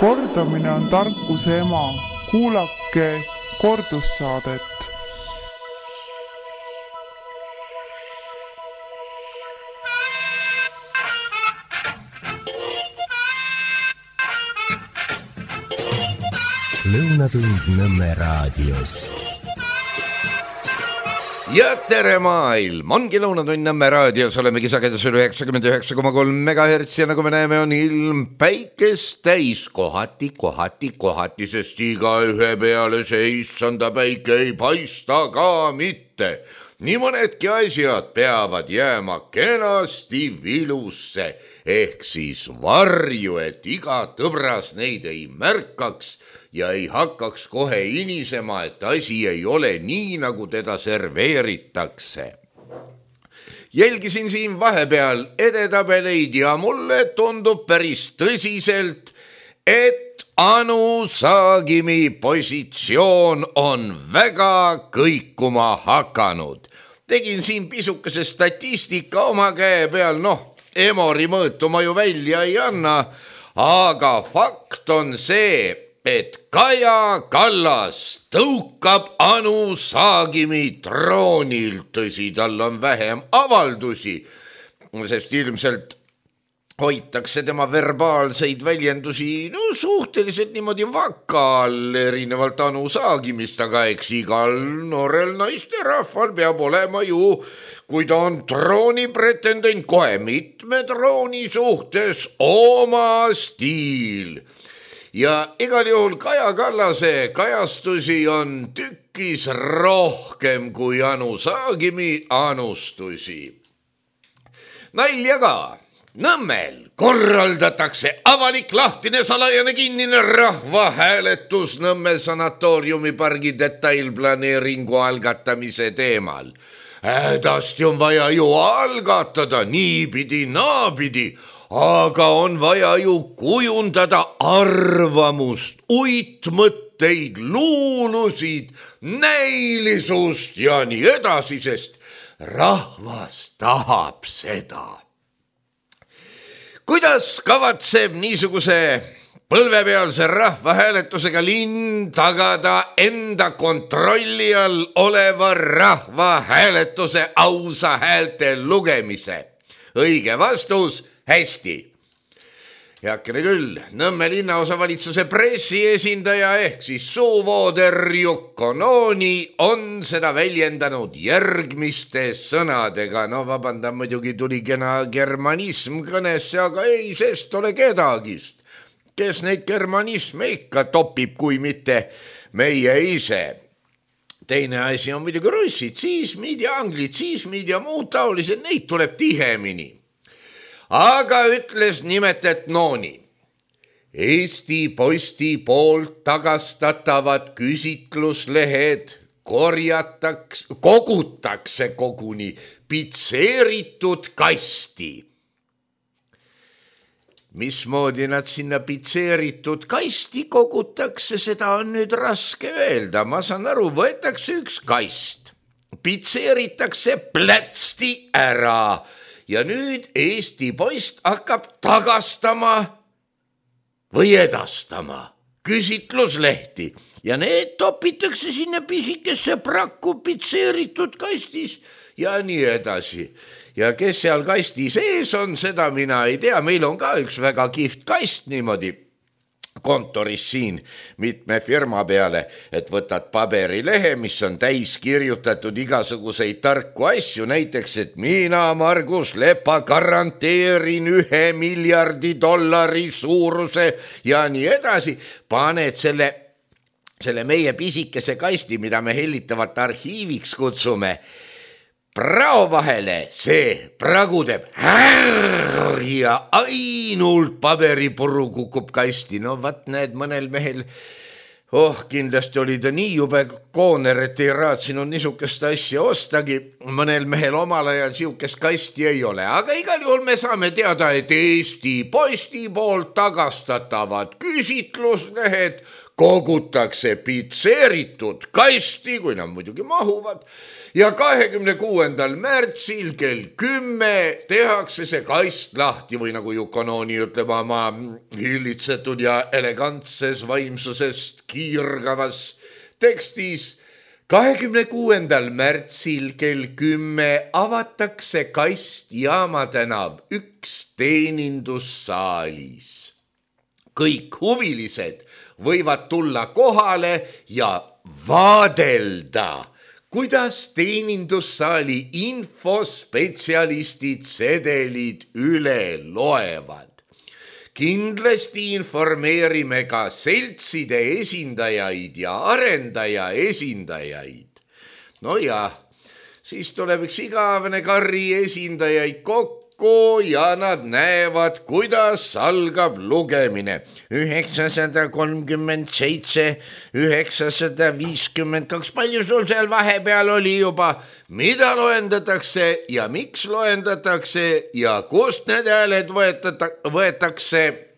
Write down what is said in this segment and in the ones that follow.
Kordamine on tarkuse ema. Kuulake kordussaadet. Lõunatund Nõmme raadios. Ja tere maailm, ongi Lõunatund Nõmme raadios, olemegi sagedusel 99,3 MHz ja nagu me näeme, on ilm päikest täis kohati, sest igaühe peale see issanda päike ei paista ka mitte. Nii mõnedki asjad peavad jääma kenasti vilusse ehk siis varju, et iga tõbras neid ei märkaks ja ei hakkaks kohe inisema, et asi ei ole nii, nagu teda serveeritakse. Jälgisin siin vahepeal edetabeleid ja mulle tundub päris tõsiselt, et Anu Saagimi positsioon on väga kõikuma hakanud. Tegin siin pisukese statistika oma käe peal, Emori mõõtu ma ju välja ei anna, aga fakt on see, et Kaja Kallas tõukab Anu Saagimi troonilt, tõsi, tal on vähem avaldusi, sest ilmselt hoitakse tema verbaalseid väljendusi suhteliselt niimoodi vaka all, erinevalt Anu Saagimist, aga eks igal noorel naisterahval peab olema ju, kui ta on troonipretendent, kohe mitme trooni suhtes oma stiil. Ja igal juhul Kaja Kallase kajastusi on tükkis rohkem kui Anu Saagimi anustusi. Nalja ka. Nõmmel korraldatakse avalik, lahtine, salajane, kinnine rahvahääletus Nõmme sanatooriumipargi detailplaneeringu algatamise teemal. Hädasti on vaja ju algatada niipidi, naapidi, aga on vaja ju kujundada arvamust, uitmõtteid, luulusid, näilisust ja nii edasi, sest rahvas tahab seda. Kuidas kavatseb niisuguse põlvepealse rahvahääletusega linn tagada enda kontrolli all oleva rahvahääletuse ausa häälte lugemise? Õige vastus, hästi. Heakene küll, Nõmme linnaosavalitsuse pressiesindaja ehk siis suuvooder Jukko Nooni on seda väljendanud järgmiste sõnadega. Vabandan, muidugi tuli kena germanism kõnesse, aga ei sest ole kedagist. Kes neid germanisme ikka topib, kui mitte meie ise. Teine asi on muidugi russid, siismid ja anglitsismid ja muud taolised, neid tuleb tihemini. Aga ütles nimetet Nooni. Eesti Posti poolt tagastatavad küsitluslehed kogutakse koguni pitseeritud kasti. Mismoodi nad sinna pitseeritud kasti kogutakse, seda on nüüd raske öelda. Ma saan aru, võetakse üks kast, pitseeritakse plätsti ära. Ja nüüd Eesti Post hakkab tagastama või edastama küsitluslehti ja need topitakse sinna pisikesse prakku pitseeritud kastis ja nii edasi. Ja kes seal kasti sees on, seda mina ei tea. Meil on ka üks väga kihvt kast niimoodi kontoris siin mitme firma peale, et võtad paberilehe, mis on täis kirjutatud igasuguseid tarku asju, näiteks, et mina, Margus Lepa, garanteerin $1 miljardi suuruse ja nii edasi. Paned selle meie pisikese kasti, mida me hellitavalt arhiiviks kutsume, prao vahele, see pragu teeb ja ainult paberipuru kukub kasti. Vat näed, mõnel mehel, kindlasti oli ta nii jube kooner, et ei raatsinud niisugust asja ostagi. Mõnel mehel omal ajal siukest kasti ei ole, aga igal juhul me saame teada, et Eesti Posti poolt tagastatavad küsitluslehed kogutakse pitseeritud kasti, kui nad muidugi mahuvad, ja 26. märtsil kell 10 tehakse see kast lahti või nagu Jukonooni ütleb oma hillitsetud ja elegantses vaimsusest kiirgavas tekstis. 26. märtsil kell 10 avatakse kast Jaama tänav 1 teenindussaalis. Kõik huvilised võivad tulla kohale ja vaadelda, kuidas teenindussaali infospetsialistid sedelid üle loevad. Kindlasti informeerime ka seltside esindajaid ja arendaja esindajaid. No ja, siis tuleb üks igavene karri esindajaid kokku ja nad näevad, kuidas algab lugemine. 937, 952, palju sul seal vahepeal oli juba, mida loendatakse ja miks loendatakse ja kust need hääled võetakse.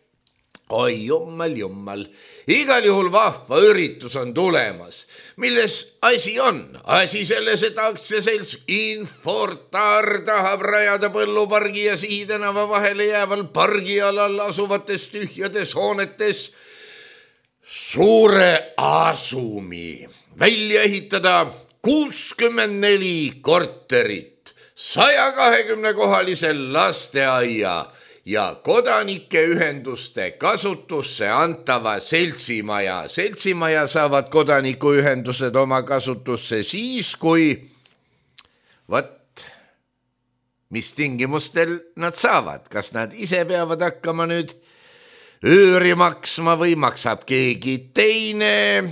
Oi jummal. Igal juhul vahva üritus on tulemas. Milles asi on? Asi selles, et aktsiaselts Infortar tahab rajada Põllupargi ja Sihitänava vahele jääval pargialal asuvates tühjades hoonetes suure asumi. Välja ehitada 64 korterit, 120-kohalise lasteaia ja kodanikeühenduste kasutusse antava seltsimaja. Seltsimaja saavad kodanikuühendused oma kasutusse siis, kui mis tingimustel nad saavad. Kas nad ise peavad hakkama nüüd üüri maksma või maksab keegi teine?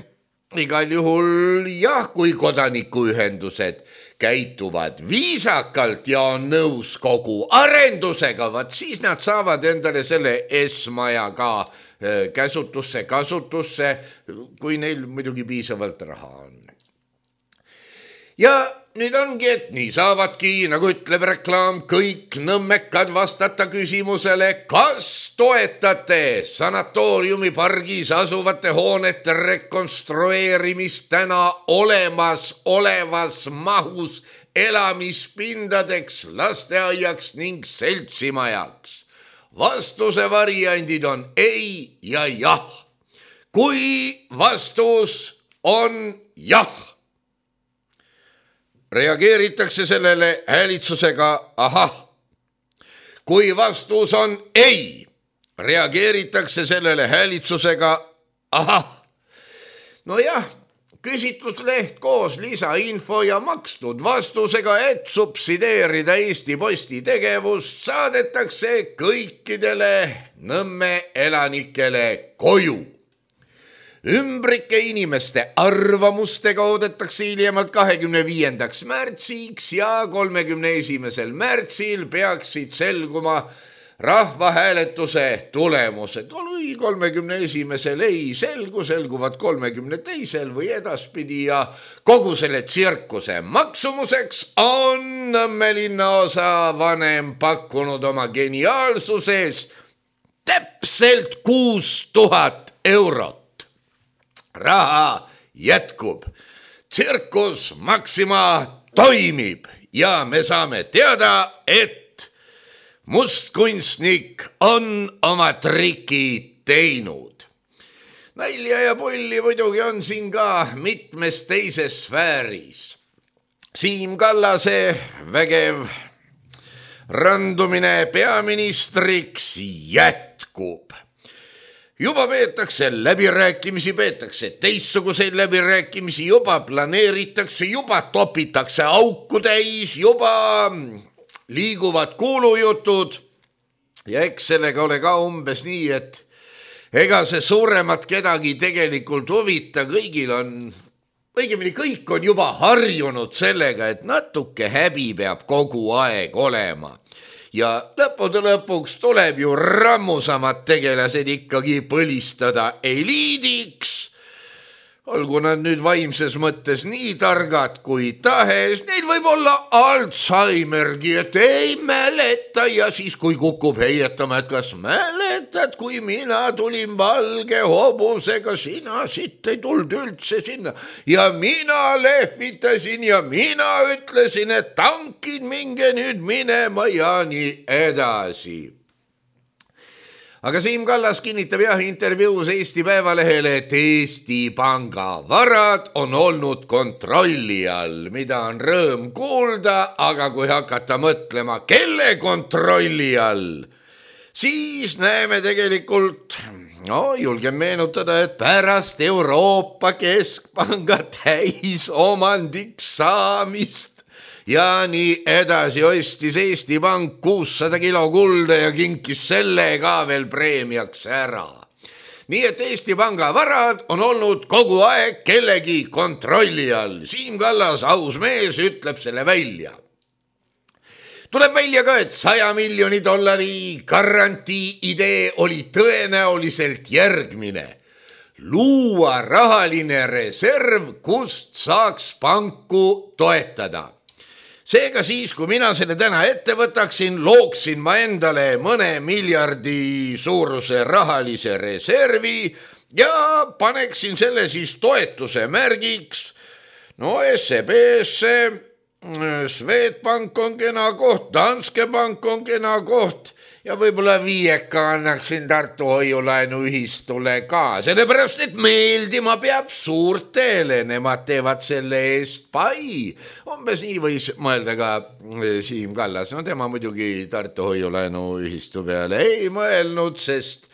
Igal juhul jah, kui kodanikuühendused käituvad viisakalt ja on nõus kogu arendusega, siis nad saavad endale selle S-maja ka kasutusse, kui neil muidugi piisavalt raha on. Ja nüüd ongi, et nii saavadki, nagu ütleb reklaam, kõik nõmmekad vastata küsimusele, kas toetate sanatooriumi pargis asuvate hoonete rekonstrueerimist täna olevas mahus elamispindadeks, lasteaiaks ning seltsimajaks. Vastuse variandid on ei ja jah. Kui vastus on jah, reageeritakse sellele häälitsusega ahah. Kui vastus on ei, reageeritakse sellele häälitsusega ahah. No jah, küsitlusleht koos lisainfo ja makstud vastusega, et subsideerida Eesti Posti tegevust, saadetakse kõikidele Nõmme elanikele koju. Ümbrike inimeste arvamustega oodatakse hiljemalt 25. märtsiks ja 31. märtsil peaksid selguma rahvahääletuse tulemused. Kui 31. ei selguvad 32. või edaspidi ja kogu selle tsirkuse maksumuseks on Nõmme linnaosa vanem pakkunud oma geniaalsuses täpselt 6000 eurot. Raha jätkub, tsirkus Maxima toimib ja me saame teada, et mustkunstnik on oma triki teinud. Nalja ja pulli muidugi on siin ka mitmes teises sfääris. Siim Kallase vägev randumine peaministriks jätkub. Juba peetakse läbirääkimisi, peetakse teistsuguseid läbirääkimisi, juba planeeritakse, juba topitakse auku täis, juba liiguvad kuulujutud ja eks sellega ole ka umbes nii, et ega see suuremat kedagi tegelikult huvita, kõigil on, õigemini kõik on juba harjunud sellega, et natuke häbi peab kogu aeg olema. Ja lõppude lõpuks tuleb ju rammusamad tegelased ikkagi põlistada eliidiks. olgu nad nüüd vaimses mõttes nii targad kui tahes, neil võib olla Alzheimergi, et ei mäleta ja siis kui kukub heietama, et kas mäletad, kui mina tulin valge hobusega, sina siit ei tulnud üldse sinna ja mina lehvitasin ja mina ütlesin, et tankid minge nüüd minema ja nii edasi. Aga Siim Kallas kinnitab intervjuus Eesti Päevalehele, et Eesti Panga varad on olnud kontrolli all, mida on rõõm kuulda, aga kui hakata mõtlema, kelle kontrolli all, siis näeme tegelikult, julgen meenutada, et pärast Euroopa Keskpanga täisomandiks saamist ja nii edasi ostis Eesti Pank 600 kilo kulda ja kinkis selle ka veel preemiaks ära. Nii et Eesti Panga varad on olnud kogu aeg kellegi kontrolli all. Siim Kallas, aus mees, ütleb selle välja. Tuleb välja ka, et $100 miljoni garantii idee oli tõenäoliselt järgmine. Luua rahaline reserv, kust saaks panku toetada. Seega siis, kui mina selle täna ette võtaksin, looksin ma endale mõne miljardi suuruse rahalise reservi ja paneksin selle siis toetuse märgiks. SEB-sse, Swedbank on kena koht, Danske Bank on kena koht ja võib-olla 5 annaksin Tartu hoiulaenuühistule ka, sellepärast, et meeldima peab suurtele, nemad teevad selle eest pai. Umbes nii võis mõelda ka Siim Kallas, tema muidugi Tartu hoiulaenuühistu peale ei mõelnud, sest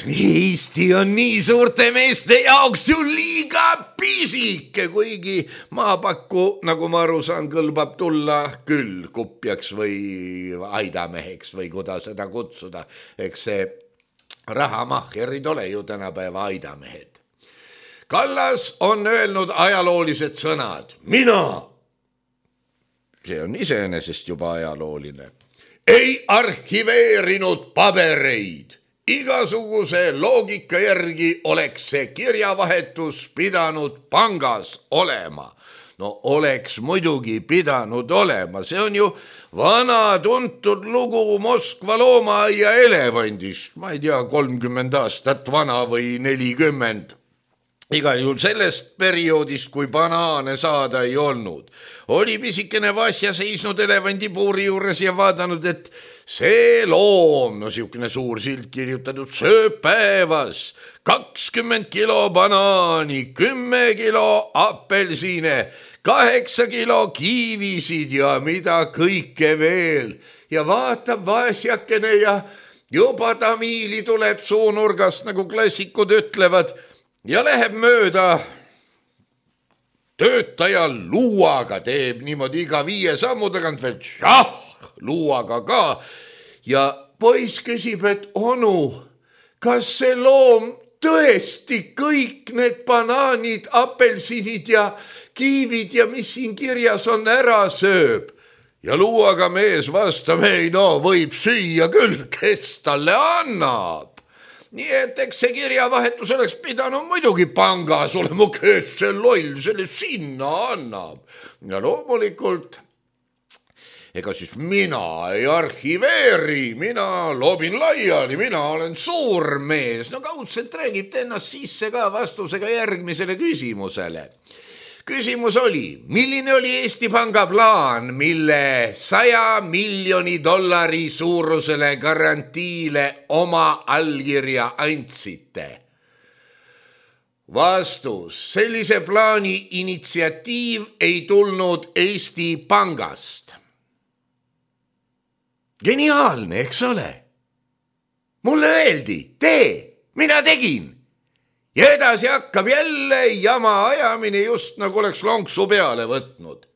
Eesti on nii suurte meeste jaoks ju liiga pisike, kuigi maapakku, nagu ma aru saan, kõlbab tulla küll kupjaks või aidameheks või kuidas seda kutsuda. Eks see rahamahkerid ole ju tänapäeva aidamehed. Kallas on öelnud ajaloolised sõnad. Mina, see on iseenesest juba ajalooline, ei arhiveerinud pabereid. Igasuguse loogika järgi oleks see kirjavahetus pidanud pangas olema. Oleks muidugi pidanud olema. See on ju vana tuntud lugu Moskva loomaaia elevandist. Ma ei tea, 30 aastat vana või 40. Igal juhul sellest perioodist, kui banaane saada ei olnud. Oli pisikene Vasja seisnud elevandipuuri juures ja vaadanud, et see loom, siukene suur silt kirjutatud, sööb päevas 20 kilo banaani, 10 kilo apelsine, 8 kilo kiivisid ja mida kõike veel. Ja vaatab Vasjakene ja juba tamiili tuleb suunurgast, nagu klassikud ütlevad, ja läheb mööda töötaja luuaga, teeb niimoodi iga 5 sammu tagant veel luuaga ka ja poiss küsib, et onu, kas see loom tõesti kõik need banaanid, apelsinid ja kiivid ja mis siin kirjas on ära sööb? Ja luuaga mees vastab, ei võib süüa küll, kes talle annab. Nii et eks see kirjavahetus oleks pidanud muidugi pangas olema, kes see loll selle sinna annab. Ja loomulikult, ega siis mina ei arhiveeri, mina loobin laiali, mina olen suur mees. Kaudselt räägib ta ennast sisse ka vastusega järgmisele küsimusele. Küsimus oli, milline oli Eesti Panga plaan, mille $100 miljoni suurusele garantiile oma allkirja andsite? Vastus, sellise plaani initsiatiiv ei tulnud Eesti Pangast. Geniaalne, eks ole? Mulle öeldi, tee, mina tegin. Ja edasi hakkab jälle jama ajamine, just nagu oleks lonksu peale võtnud.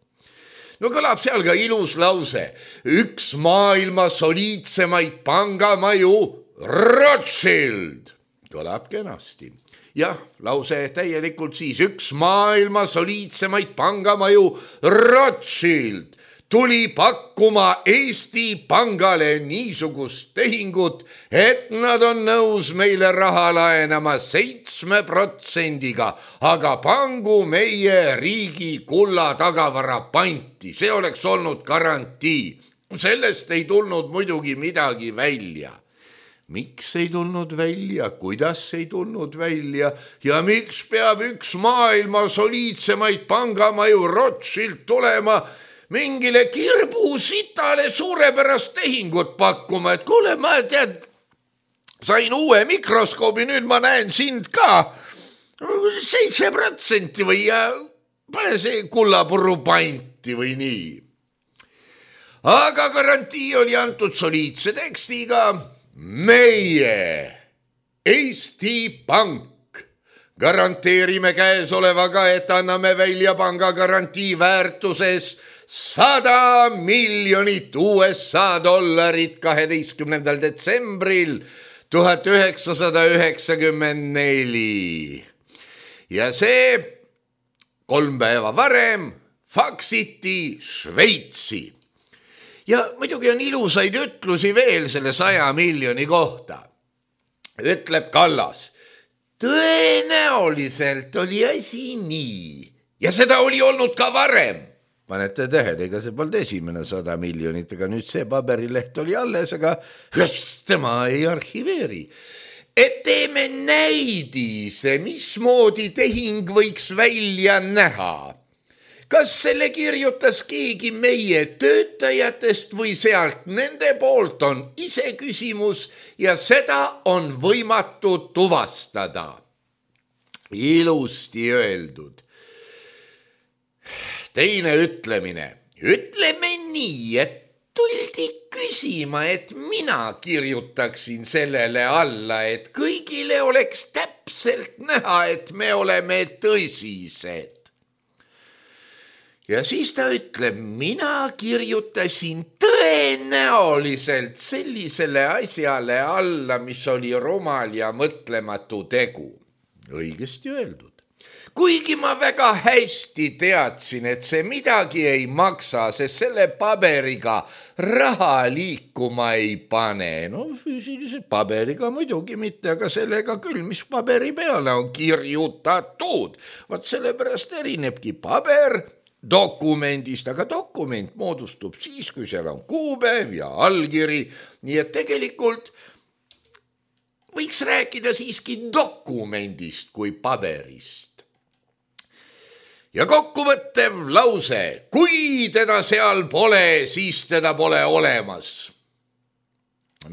Kõlab seal ka ilus lause. Üks maailma soliidsemaid pangamaju, Rothschild. Kõlab kenasti. Jah, lause täielikult siis. Üks maailma soliidsemaid pangamaju, Rothschild. tuli pakkuma Eesti Pangale niisugust tehingut, et nad on nõus meile raha laenama 7%-ga, aga pangu meie riigi kulla tagavara panti, see oleks olnud garantii. Sellest ei tulnud muidugi midagi välja. Miks ei tulnud välja, kuidas ei tulnud välja ja miks peab üks maailma soliidsemaid pangamaju Rothschild tulema mingile kirbusitale suurepärast tehingut pakkuma, et kuule, ma sain uue mikroskoobi, nüüd ma näen sind ka 7% või pane see kullapurru panti või nii. Aga garantii oli antud soliidse tekstiga. Meie, Eesti Pank, garanteerime käesolevaga, et anname välja panga garantii väärtuses $100 miljonit USA 12. detsembril 1994. Ja see 3 päeva varem faksiti Šveitsi. Ja muidugi on ilusaid ütlusi veel selle 100 miljoni kohta. Ütleb Kallas, tõenäoliselt oli asi nii. Ja seda oli olnud ka varem. Panete tähele, ega see polnud esimene 100 miljonit, ega nüüd see paberileht oli alles, aga tema ei arhiveeri. Et teeme näidise, mismoodi tehing võiks välja näha. Kas selle kirjutas keegi meie töötajatest või sealt nende poolt on iseküsimus ja seda on võimatu tuvastada. Ilusti öeldud. Teine ütlemine. Ütleme nii, et tuldi küsima, et mina kirjutaksin sellele alla, et kõigile oleks täpselt näha, et me oleme tõsised. Ja siis ta ütleb, mina kirjutasin tõenäoliselt sellisele asjale alla, mis oli rumal ja mõtlematu tegu. Õigesti öeldud. Kuigi ma väga hästi teadsin, et see midagi ei maksa, sest selle paberiga raha liikuma ei pane. No füüsiliselt paberiga muidugi mitte, aga sellega küll, mis paberi peale on kirjutatud. Vaat sellepärast erinebki paber dokumendist, aga dokument moodustub siis, kui seal on kuupäev ja allkiri, nii et tegelikult võiks rääkida siiski dokumendist kui paberist. Ja kokkuvõttev lause, kui teda seal pole, siis teda pole olemas.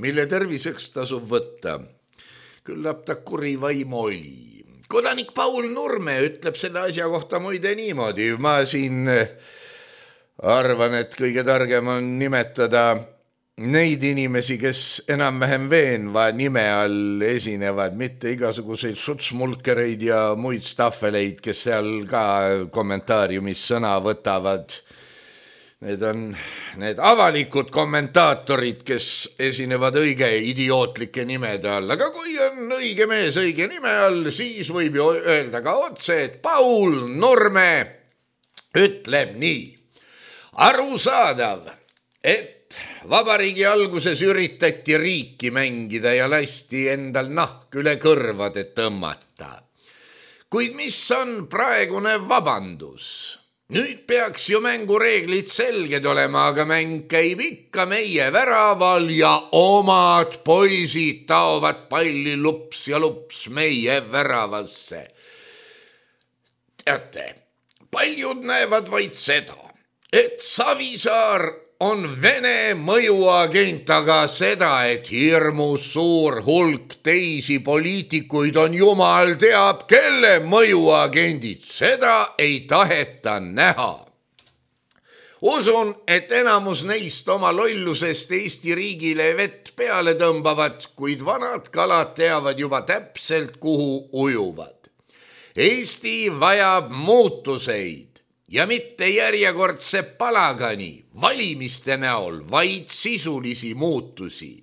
Mille terviseks tasub võtta? Küllap ta kuri vaim oli. Kodanik Paul Nurme ütleb selle asja kohta muide niimoodi. Ma siin arvan, et kõige targem on nimetada neid inimesi, kes enam-vähem veenva nime all esinevad, mitte igasuguseid šutsmulkereid ja muid staffeleid, kes seal ka kommentaariumis sõna võtavad. Need on need avalikud kommentaatorid, kes esinevad õige idiootlike nimede all. Aga kui on õige mees õige nime all, siis võib ju öelda ka otse, et Paul Nurme ütleb nii. Arusaadav, et vabariigi alguses üritati riiki mängida ja lasti endal nahk üle kõrvade tõmmata. Kuid mis on praegune vabandus? Nüüd peaks ju mängureeglid selged olema, aga mäng käib ikka meie väraval ja omad poisid taovad palli lups ja lups meie väravasse. Teate, paljud näevad vaid seda, et Savisaar on Vene mõjuagent, aga seda, et hirmus suur hulk teisi poliitikuid on jumal teab, kelle mõjuagendid, seda ei taheta näha. Usun, et enamus neist oma lollusest Eesti riigile vett peale tõmbavad, kuid vanad kalad teavad juba täpselt, kuhu ujuvad. Eesti vajab muutuseid. Ja mitte järjekordse palagani valimiste näol, vaid sisulisi muutusi.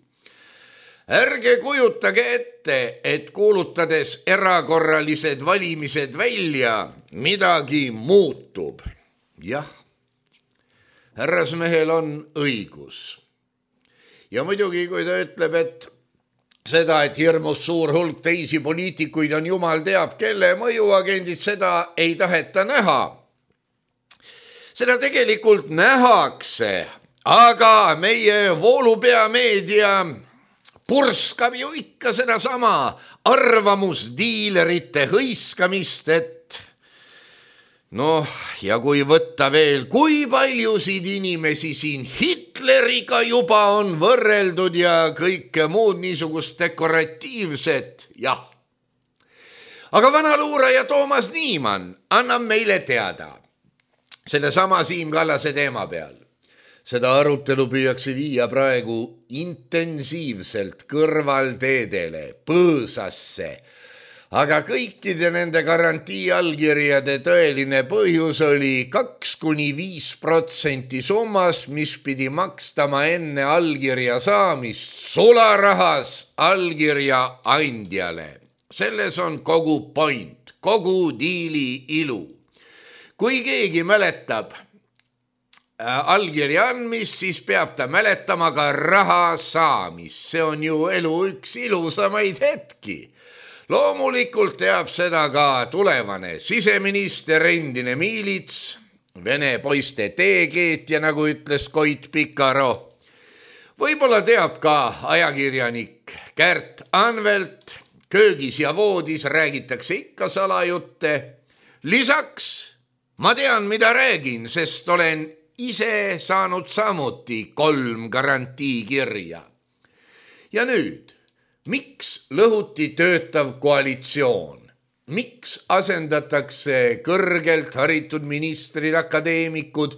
Ärge kujutage ette, et kuulutades erakorralised valimised välja, midagi muutub. Jah, härrasmehel on õigus. Ja muidugi, kui ta ütleb, et seda, et hirmus suur hulk teisi poliitikuid on jumal teab kelle mõjuagendid, seda ei taheta näha. Seda tegelikult nähakse, aga meie voolupeameedia purskab ju ikka seda sama arvamusdiilerite hõiskamist, et noh, ja kui võtta veel, kui paljusid inimesi siin Hitleriga juba on võrreldud ja kõike muud niisugust dekoratiivset, jah. Aga vanaluuraja Toomas Niimann annab meile teada selle sama Siim Kallase teema peal. Seda arutelu püüakse viia praegu intensiivselt kõrvalteedele, põõsasse, aga kõikide nende garantii allkirjade tõeline põhjus oli 2–5% summas, mis pidi makstama enne allkirja saamist sularahas allkirja andjale. Selles on kogu point, kogu diili ilu. Kui keegi mäletab allkirja andmist, siis peab ta mäletama ka raha saamist. See on ju elu üks ilusamaid hetki. Loomulikult teab seda ka tulevane siseminister, endine miilits, vene poiste teekeetja, nagu ütles Koit Pikaro. Võib-olla teab ka ajakirjanik Kärt Anvelt, köögis ja voodis räägitakse ikka salajutte. Lisaks ma tean, mida räägin, sest olen ise saanud samuti 3 garantiikirja. Ja nüüd, miks lõhuti töötav koalitsioon? Miks asendatakse kõrgelt haritud ministrid, akadeemikud,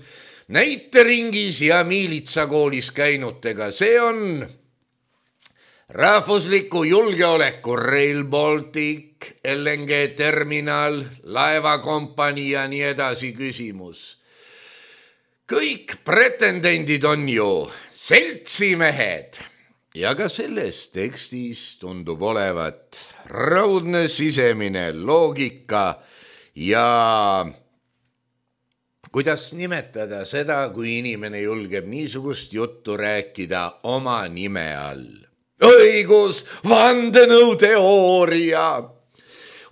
näiteringis ja miilitsakoolis käinutega? See on rahvusliku julgeoleku Rail Baltic, LNG terminal, laevakompanii ja nii edasi küsimus. Kõik pretendendid on ju seltsimehed ja ka selles tekstis tundub olevat raudne sisemine loogika ja kuidas nimetada seda, kui inimene julgeb niisugust juttu rääkida oma nime all. Õigus, vandenõuteooria.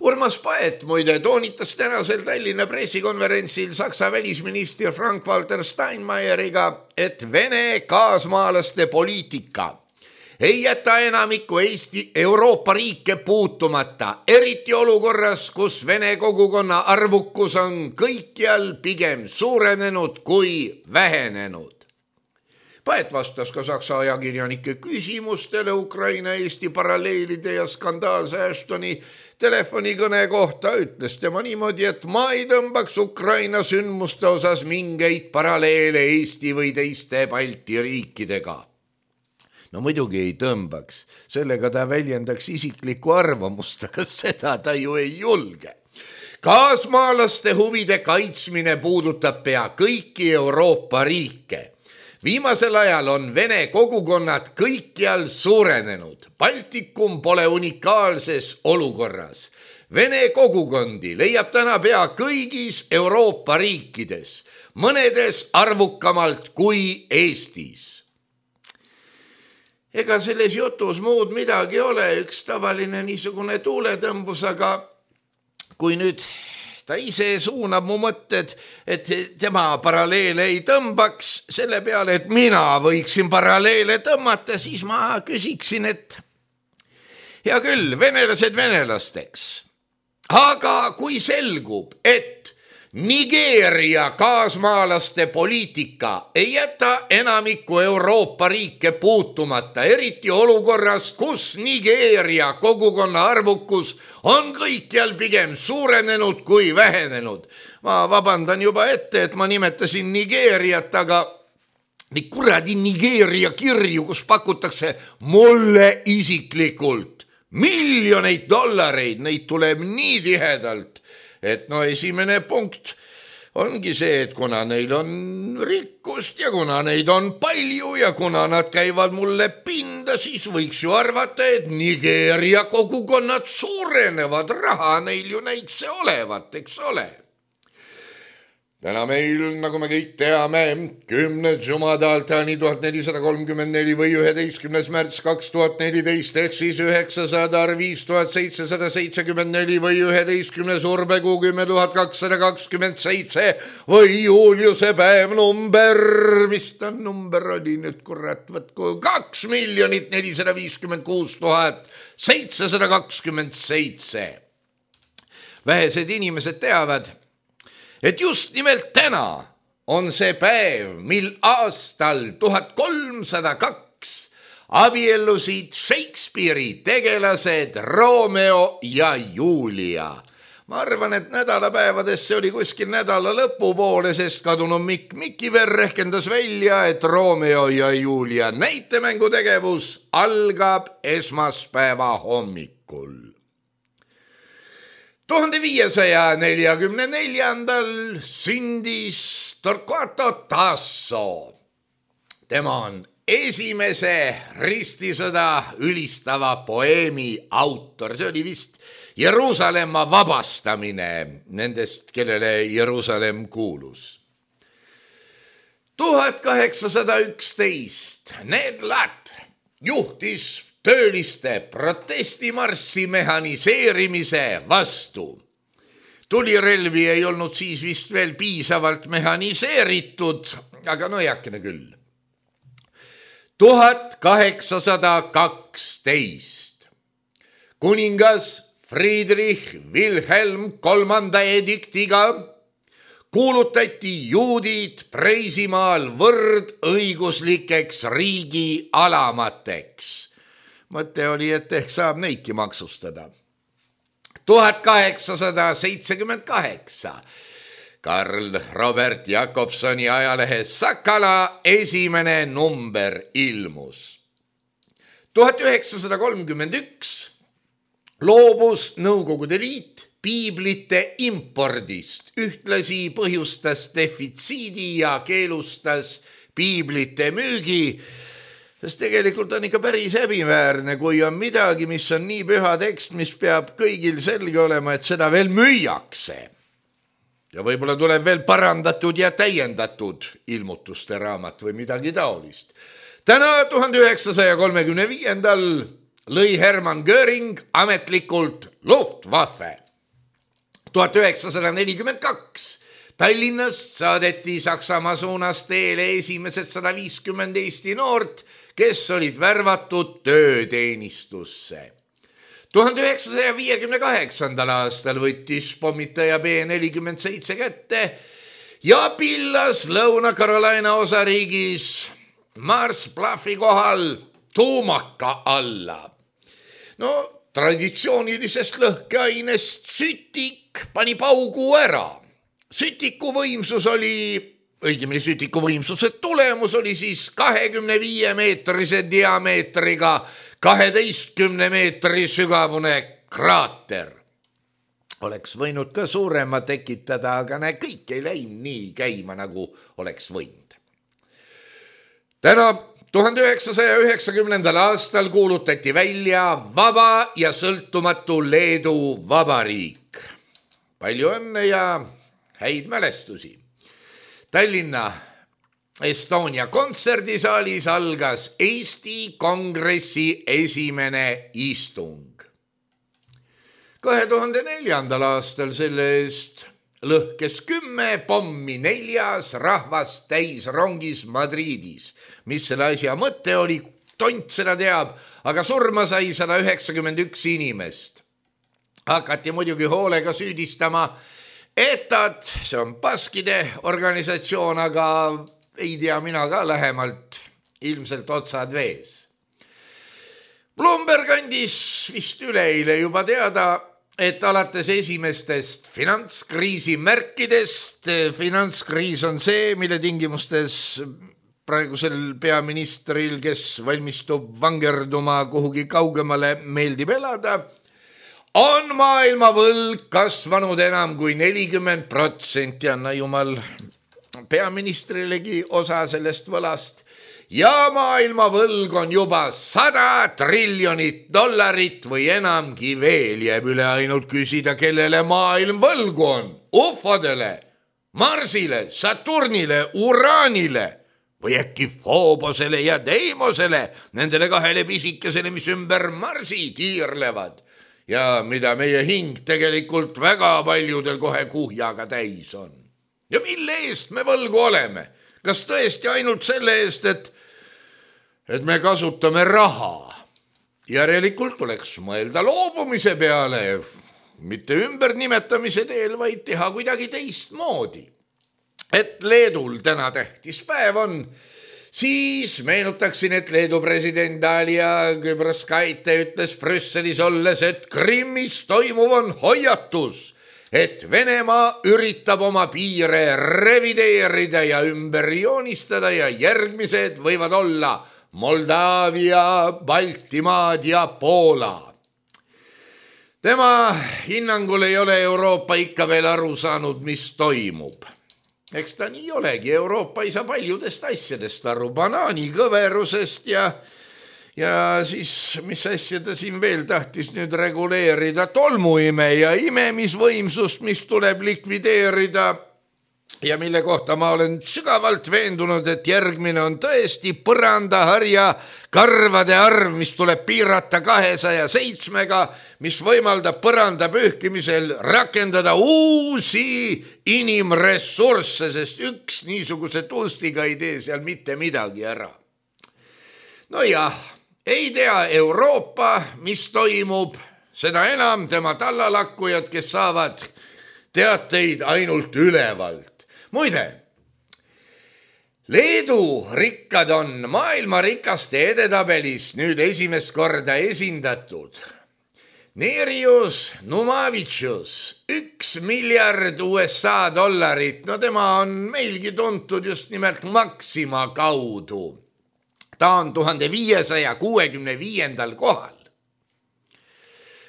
Urmas Paet muide toonitas tänasel Tallinna pressikonverentsil Saksa välisminister Frank-Walter Steinmeieriga, et Vene kaasmaalaste poliitika ei jäta enamikku Eesti Euroopa riike puutumata, eriti olukorras, kus Vene kogukonna arvukus on kõikjal pigem suurenenud kui vähenenud. Paet vastas ka Saksa ajakirjanike küsimustele Ukraina Eesti paralleelide ja skandaalse Ashtoni telefonikõne kohta. Ütles tema niimoodi, et ma ei tõmbaks Ukraina sündmuste osas mingeid paralleele Eesti või teiste Balti riikidega. No muidugi ei tõmbaks, sellega ta väljendaks isiklikku arvamust, aga seda ta ju ei julge. Kaasmaalaste huvide kaitsmine puudutab pea kõiki Euroopa riike. Viimasel ajal on Vene kogukonnad kõikjal suurenenud. Baltikum pole unikaalses olukorras. Vene kogukondi leiab täna pea kõigis Euroopa riikides, mõnedes arvukamalt kui Eestis. Ega selles jutus muud midagi ole, üks tavaline niisugune tuuletõmbus, aga kui nüüd ta ise suunab mu mõtted, et tema paralleele ei tõmbaks selle peale, et mina võiksin paralleele tõmmata, siis ma küsiksin, et hea küll, venelased venelasteks. Aga kui selgub, et Nigeeria kaasmaalaste poliitika ei jäta enamikku Euroopa riike puutumata, eriti olukorras, kus Nigeeria kogukonna arvukus on kõikjal pigem suurenenud kui vähenenud. Ma vabandan juba ette, et ma nimetasin Nigeeriat, aga nii kuradi Nigeeria kirju, kus pakutakse mulle isiklikult miljoneid dollareid, neid tuleb nii tihedalt, et no esimene punkt ongi see, et kuna neil on rikkust ja kuna neid on palju ja kuna nad käivad mulle pinda, siis võiks ju arvata, et Nigeeria kogukonnad suurenevad, raha neil ju näitse olevat, eks ole. Täna meil, nagu me kõik teame, 10. jumadaltani 1434 või 11. märts 2014 ehk siis 900 5774 või 11. urbekuu 10227 või Juliuse päev number, mis ta number oli nüüd, kurat, võtku 2 456 727. Vähesed inimesed teavad, et just nimelt täna on see päev, mil aastal 1302 abiellusid Shakespeare'i tegelased Romeo ja Julia. Ma arvan, et nädalapäevadesse oli kuskil nädala lõpupoole, sest kadunud Mikiver rehkendas välja, et Romeo ja Julia näitemängutegevus algab esmaspäeva hommikul. 1544. sündis Torquato Tasso. Tema on esimese ristisõda ülistava poeemi autor. See oli vist Jeruusalemma vabastamine nendest, kellele Jeruusalemm kuulus. 1811 Ned Latt juhtis tööliste protestimarssi mehaniseerimise vastu. Tulirelvi ei olnud siis vist veel piisavalt mehaniseeritud, aga no heakene küll. 1812 kuningas Friedrich Wilhelm III ediktiga kuulutati juudid Preisimaal võrdõiguslikeks riigi alamateks. Mõte oli, et ehk saab neidki maksustada. 1878 Karl Robert Jakobsoni ajalehe Sakala esimene number ilmus. 1931 loobus Nõukogude Liit piiblite impordist, ühtlasi põhjustas defitsiidi ja keelustas piiblite müügi, sest tegelikult on ikka päris häbiväärne, kui on midagi, mis on nii püha tekst, mis peab kõigil selge olema, et seda veel müüakse. Ja võib-olla tuleb veel parandatud ja täiendatud ilmutuste raamat või midagi taolist. Täna 1935. lõi Hermann Göring ametlikult Luftwaffe. 1942 Tallinnast saadeti Saksamaa suunas teele esimesed 150 Eesti noort, kes olid värvatud tööteenistusse. 1958. aastal võttis pommitaja B-47 kätte ja pillas Lõuna-Carolina osariigis Mars Bluffi kohal tuumaka alla. No traditsioonilisest lõhkeainest sütik pani paugu ära. Sütiku võimsus oli, õigemini sütiku võimsuse tulemus oli siis 25-meetrise diameetriga 12 meetri sügavune kraater. Oleks võinud ka suurema tekitada, aga kõik ei läinud nii käima, nagu oleks võinud. Täna 1990. aastal kuulutati välja vaba ja sõltumatu Leedu vabariik. Palju õnne ja häid mälestusi. Tallinna Estonia kontserdisaalis algas Eesti Kongressi esimene istung. 2004. aastal selle eest lõhkes 10 pommi 4 rahvast täis rongis Madridis. Mis selle asja mõte oli, tont seda teab, aga surma sai 191 inimest. Hakati muidugi hoolega süüdistama ETAt, see on baskide organisatsioon, aga ei tea mina ka lähemalt, ilmselt otsad vees. Bloomberg andis vist üleeile juba teada, et alates esimestest finantskriisi märkidest, finantskriis on see, mille tingimustes praegusel peaministril, kes valmistub vangerduma kuhugi kaugemale, meeldib elada, on maailma võlg kasvanud enam kui 40%, anna jumal peaministrilegi osa sellest võlast, ja maailma võlg on juba $100 triljonit või enamgi veel. Jääb üle ainult küsida, kellele maailm võlgu on. Ufodele Marsile, Saturnile, Uraanile või äkki Foobosele ja Deimosele, nendele kahele pisikesele, mis ümber Marsi tiirlevad ja mida meie hing tegelikult väga paljudel kohe kuhjaga täis on. Ja mille eest me võlgu oleme? Kas tõesti ainult selle eest, et me kasutame raha? Järelikult tuleks mõelda loobumise peale, mitte ümbernimetamise teel, vaid teha kuidagi teistmoodi. Et Leedul täna tähtis päev on, siis meenutaksin, et Leedu president Dalia Grybauskaite ütles Brüsselis olles, et Krimmis toimuv on hoiatus, et Venemaa üritab oma piire revideerida ja ümber joonistada ja järgmised võivad olla Moldaavia, Baltimaad ja Poola. Tema hinnangul ei ole Euroopa ikka veel aru saanud, mis toimub. Eks ta nii olegi, Euroopa ei saa paljudest asjadest aru, banaani kõverusest ja siis, mis asja ta siin veel tahtis nüüd reguleerida, tolmuime ja imemisvõimsust, mis tuleb likvideerida ja mille kohta ma olen sügavalt veendunud, et järgmine on tõesti põrandaharja karvade arv, mis tuleb piirata 207-ga, mis võimaldab põranda pühkimisel rakendada uusi inimressursse, sest üks niisuguse tustiga ei tee seal mitte midagi ära. No jah, ei tea Euroopa, mis toimub, seda enam tema tallalakkujad, kes saavad teateid ainult ülevalt. Muide, Leedu rikkad on maailma rikaste edetabelis nüüd esimest korda esindatud. Neerius Numavicius, 1 miljard USA dollarit, no tema on meilgi tuntud just nimelt Maxima kaudu. Ta on 1565. kohal.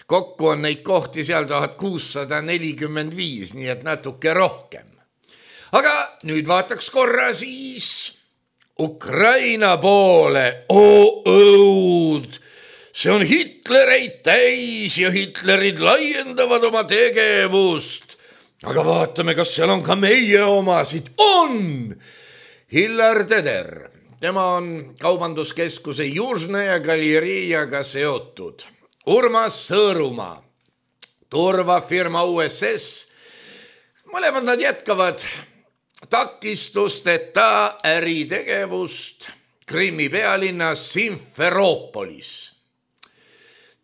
Kokku on neid kohti seal 1645, nii et natuke rohkem. Aga nüüd vaataks korra siis Ukraina poole. Õud! See on Hitlereid täis ja Hitlerid laiendavad oma tegevust. Aga vaatame, kas seal on ka meie omasid. On! Hillar Teder. Tema on kaubanduskeskuse Južne ja Galeriaga seotud. Urmas Sõõrumaa, turvafirma USS. Mõlemad nad jätkavad takistusteta äritegevust Krimmi pealinnas Simferoopolis.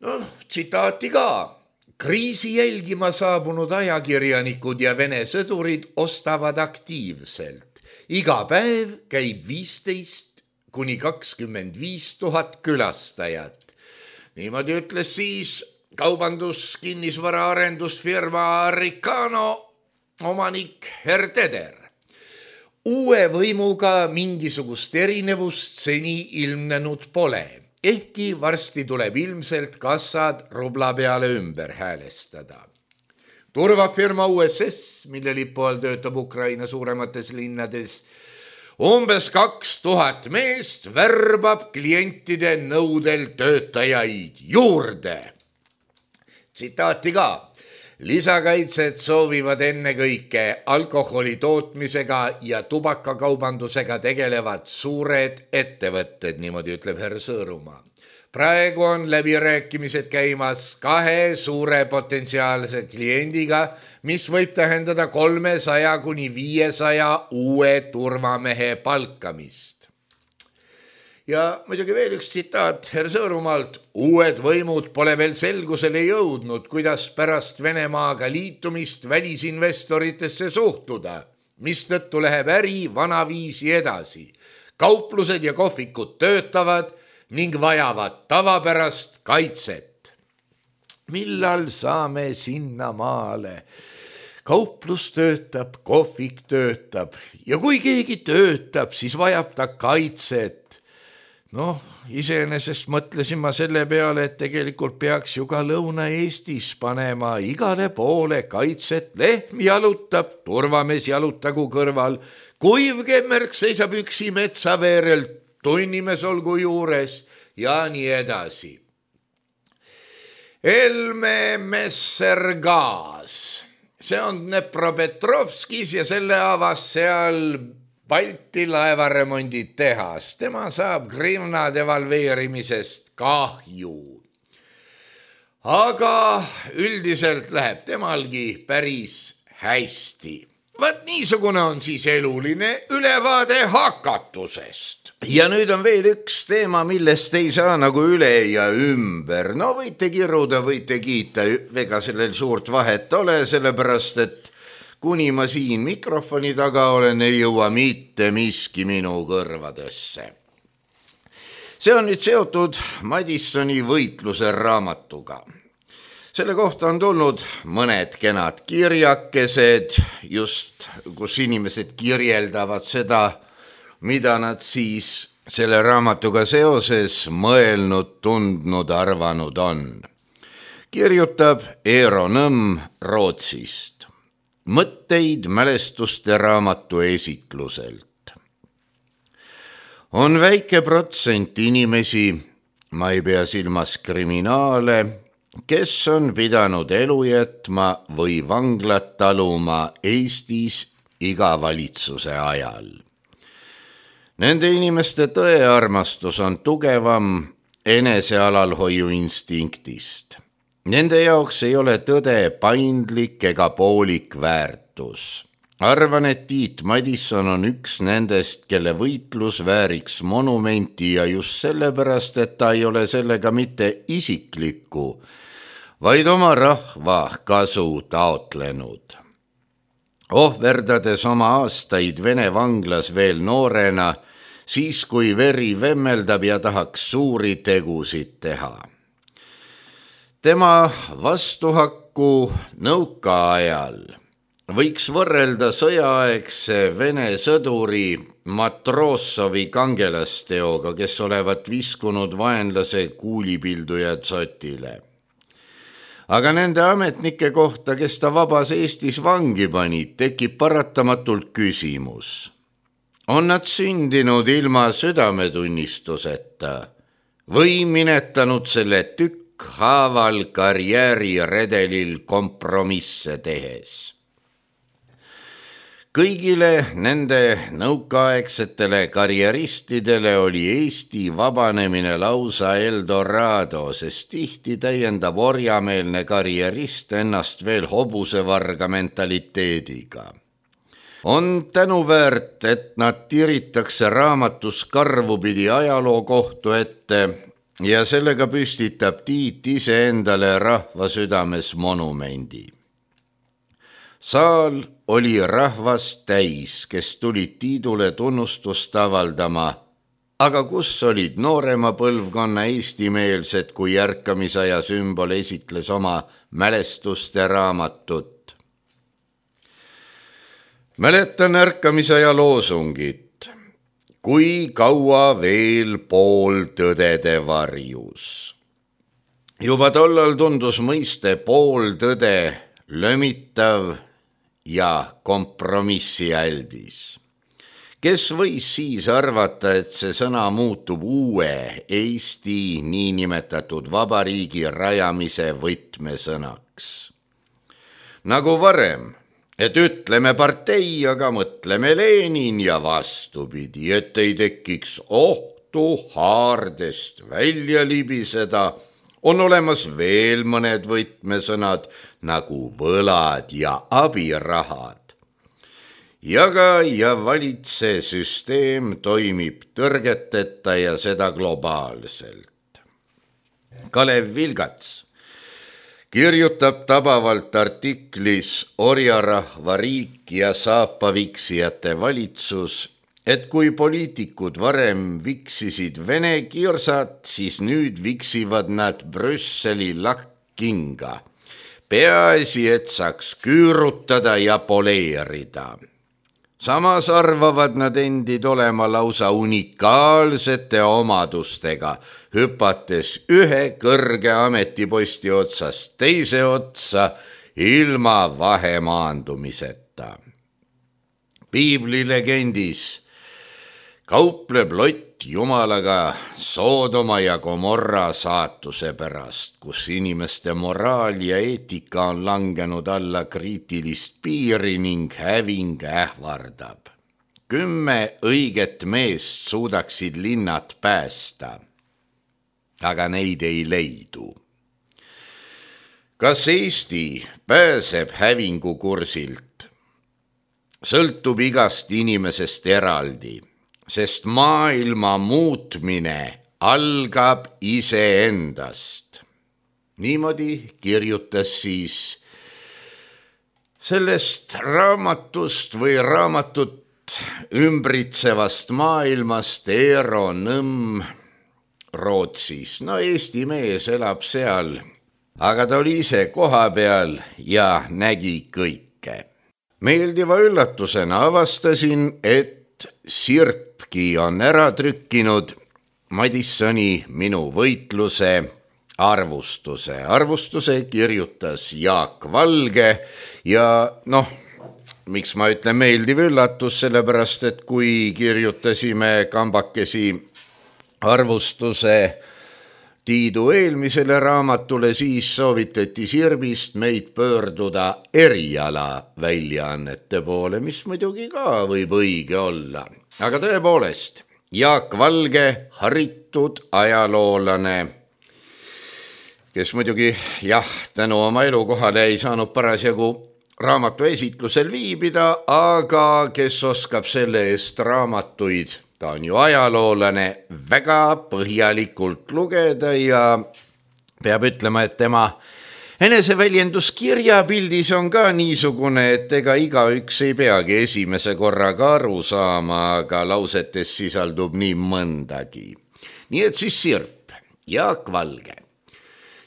No, tsitaati ka. Kriisi jälgima saabunud ajakirjanikud ja Vene sõdurid ostavad aktiivselt. Iga päev käib 15 kuni 25 000 külastajat. Niimoodi ütles siis kaubanduskinnisvara arendusfirma Ricano omanik Herr Teder. Uue võimuga mingisugust erinevust seni ilmnenud pole, ehkki varsti tuleb ilmselt kassad rubla peale ümber häälestada. Turvafirma USS, mille lipu all töötab Ukraina suuremates linnades, umbes 2000 meest värbab klientide nõudel töötajaid juurde. Tsitaati ka. Lisakaitset soovivad ennekõike alkoholi tootmisega ja tubakakaubandusega tegelevad suured ettevõtted, niimoodi ütleb Herr Sõõrumaa. Praegu on läbirääkimised käimas 2 suure potentsiaalse kliendiga, mis võib tähendada 300 kuni 500 uue turvamehe palkamist. Ja muidugi veel üks tsitaat Herr Sõõrumaalt. Uued võimud pole veel selgusele jõudnud, kuidas pärast Venemaaga liitumist välisinvestoritesse suhtuda, mistõttu läheb äri vanaviisi edasi. Kauplused ja kohvikud töötavad ning vajavad tavapärast kaitset. Millal saame sinna maale? Kauplus töötab, kohvik töötab ja kui keegi töötab, siis vajab ta kaitset. Noh, iseenesest mõtlesin ma selle peale, et tegelikult peaks ju ka Lõuna-Eestis panema igale poole kaitset. Lehm jalutab, turvamees jalutagu kõrval, kuivkemmerk seisab üksi metsaveerel, tunnimees olgu juures ja nii edasi. Elme Messergaas. see on Dnepropetrovskis ja selle avas seal Balti laevaremondid tehas. Tema saab grivna devalveerimisest kahju. Aga üldiselt läheb temalgi päris hästi. Vaat niisugune on siis eluline ülevaade hakatusest. Ja nüüd on veel üks teema, millest ei saa nagu üle ja ümber. No võite kiruda, võite kiita, ega sellel suurt vahet ole, sellepärast et kuni ma siin mikrofoni taga olen, ei jõua mitte miski minu kõrvadesse. See on nüüd seotud Madisoni võitluse raamatuga. Selle kohta on tulnud mõned kenad kirjakesed, just kus inimesed kirjeldavad seda, mida nad siis selle raamatuga seoses mõelnud, tundnud, arvanud on. Kirjutab Eero Nõmm Rootsist. Mõtteid mälestuste raamatu esitluselt. On väike protsent inimesi, ma ei pea silmas kriminaale, kes on pidanud elu jätma või vanglat taluma Eestis iga valitsuse ajal. Nende inimeste tõearmastus on tugevam enesealalhoiu instinktist. Nende jaoks ei ole tõde paindlik ega poolik väärtus. Arvan, et Tiit Madison on üks nendest, kelle võitlus vääriks monumenti ja just sellepärast, et ta ei ole sellega mitte isiklikku, vaid oma rahva kasu taotlenud. Ohverdades oma aastaid Vene vanglas veel noorena, siis kui veri vemmeldab ja tahaks suuri tegusid teha. Tema vastuhakku nõukaajal võiks võrrelda sõjaaegse Vene sõduri Matrossovi kangelasteoga, kes olevat viskunud vaenlase kuulipildujad sotile. Aga nende ametnike kohta, kes ta vabas Eestis vangi panid, tekib paratamatult küsimus. On nad sündinud ilma südametunnistuseta või minetanud selle haaval karjääriredelil kompromisse tehes. Kõigile nende nõukaaegsetele karjeristidele oli Eesti vabanemine lausa Eldorado, sest tihti täiendab orjameelne karjerist ennast veel hobusevarga mentaliteediga. On tänuväärt, et nad tiritakse raamatus karvupidi ajaloo kohtu ette ja sellega püstitab Tiit iseendale rahva südames monumendi. Saal oli rahvast täis, kes tulid Tiidule tunnustust avaldama, aga kus olid noorema põlvkonna eestimeelsed, kui ärkamisaja sümbol esitles oma mälestuste raamatut. Mäletan ärkamisaja loosungit. Kui kaua veel pool tõdede varjus. Juba tollal tundus mõiste pool tõde lömitav ja kompromissi äldis. Kes võis siis arvata, et see sõna muutub uue Eesti niinimetatud vabariigi rajamise võtmesõnaks? Nagu varem, et ütleme partei, aga mõtleme Lenin ja vastupidi, et ei tekiks ohtu haardest välja libiseda, on olemas veel mõned võtmesõnad nagu võlad ja abirahad. Jaga ja valitse süsteem toimib tõrgeteta ja seda globaalselt. Kalev Vilgats kirjutab tabavalt artiklis Orjarahva riik ja saapaviksijate valitsus, et kui poliitikud varem viksisid Vene kirsat, siis nüüd viksivad nad Brüsseli lakkkinga. Peaasi, et saaks küürutada ja poleerida. Samas arvavad nad endid olema lausa unikaalsete omadustega, hüpates ühe kõrge ametiposti otsast teise otsa ilma vahemaandumiseta. Piibli legendis kaupleb Lott jumalaga Soodoma ja Gomorra saatuse pärast, kus inimeste moraal ja eetika on langenud alla kriitilist piiri ning häving ähvardab. 10 õiget meest suudaksid linnad päästa, aga neid ei leidu. Kas Eesti pääseb hävingukursilt? Sõltub igast inimesest eraldi, sest maailma muutmine algab iseendast. Niimoodi kirjutas siis sellest raamatust või raamatut ümbritsevast maailmast Eero Nõmm Rootsis. No Eesti mees elab seal, aga ta oli ise koha peal ja nägi kõike. Meeldiva üllatusena avastasin, et Sirpki on ära trükkinud Madissoni Minu võitluse arvustuse. Arvustuse kirjutas Jaak Valge ja miks ma ütlen meeldiv üllatus, sellepärast, et kui kirjutasime kambakesi arvustuse Tiidu eelmisele raamatule, siis soovitati Sirbist meid pöörduda eriala väljaannete poole, mis muidugi ka võib õige olla. Aga tõepoolest, Jaak Valge, haritud ajaloolane, kes muidugi tänu oma elukohale ei saanud parasjagu raamatu esitlusel viibida, aga kes oskab selle eest raamatuid, ta on ju ajaloolane, väga põhjalikult lugeda ja peab ütlema, et tema eneseväljenduskirja pildis on ka niisugune, et ega igaüks ei peagi esimese korraga aru saama, aga lausetes sisaldub nii mõndagi. Nii et siis Sirp, Jaak Valge.